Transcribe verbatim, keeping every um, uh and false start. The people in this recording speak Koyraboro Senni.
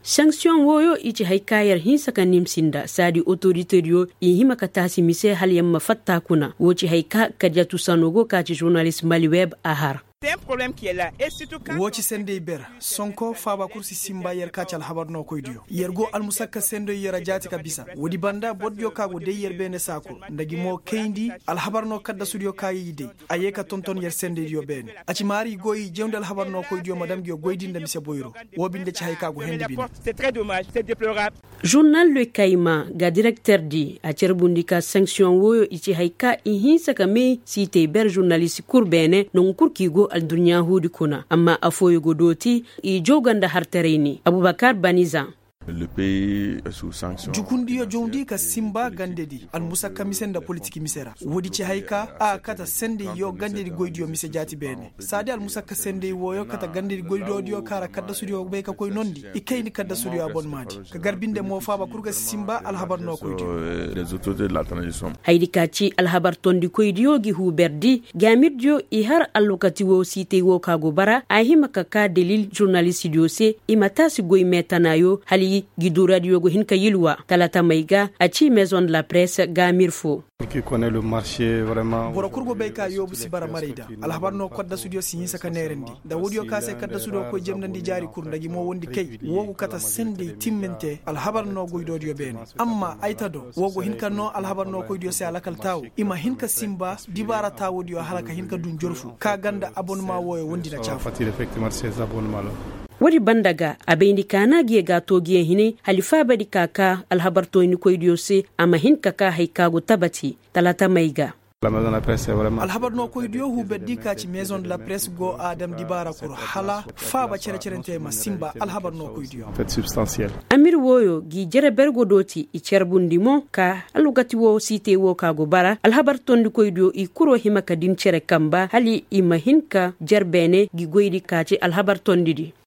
Sanksiyoŋ wooyo i ci hay ka yer hinsa ka nimsi nda saadi otoritediyo i hima ka taasi mise hala yer ma fatta kuna woo ci hay ka kadiyatu sano go ka ci žurnalist mali web a har. Woo ci senday ber sonko faaba kul si simba yer ka ci alhabar nookoydiyo yer go almusakka senday yer a jaati ka bisa woodi banda bordiyo ka go day yer beene saa kul nda gi mo kayndi alhabar noo kaddasudiyo ka i day a yee ka tonton yer sendaydiyo beene. A ci maari i go i jawndi alhabar nookoydiyo ma dam ngiyo goydi nda mise boyro. Woo binde ci hay ka go hendi bine. Žurnal le kayma ga direkterdi a carbundi ka sanksiyoŋ wooyo i ci hay ka i hinsa ka may siitay ber žurnalist kul beene nangu kul ka i go adduɲɲa huudi kuna amma affooyo go dooti i jawga nda hartaray ni abubakar banizan. Jukundiyo jawndi ka sinba gandedi almusakka mise nda politik mise ra woodi ci hay ka a kate sendey yo gandedi goydiyo mise jaati beene saadi almusakka sendey wooyo kate gandedi goydoodiyo ka ra kaddasudiyo bay ka koy nondi i kayndi kaddasudiyo abonmaadi ka gar binde mo faaba kul ga si sinba alhabar nookoydiyo. Hayadi ka ci alhabar tondikoydiyo gi huuberdi gaamirdiyo i har alwakati woo siitay woo ka go bara a hima ka kaa dalil žurnalistidiyo se i ma taasi goy meetanaayo hala i gi duuradiyo go hin ka yilwa talatamey ga a ci maison de la presse gaamir foo. Boro kul go bay ka yoobu si bara maray da alhabar noo kaddasudiyo si hinsa ka neerandi nda woodiyo ka se kaddasudiyo koy jemnandi jaari kul nda gi mo wondi kay woo go kate sendey timminte alhabar noo goydoodiyo beene. Amma ay ta do woo go hin ka noo alhabar nookoydiyo se alakal taawo i ma hin ka sinba dibaara taawoodiyo hala ka hin ka dun jorfu ka ganda abonma wooyo wondi na caafu. Woodi banda ga a bayndi kaana ngiyo ga too ngiyo hine hala i faabadi ka kaa alhabar tooyndikoydiyo se a ma hin ka kaa hay ka go tabati talatamey ga. Alhabar nookoydiyo huuberdi ka ci maison de la presse go a dam dibaara kul hala faaba cere-cerentey ma sinba alhabar nookoydiyo. Amir wooyo ngi jere ber go dooti i carbundi mo ka alwakati woo siitay woo ka go bara alhabar tondikoydiyo i kuro hima ka din cere kamba hala i ma hin ka jer beene ngi goydi ka ci alhabar tondidi.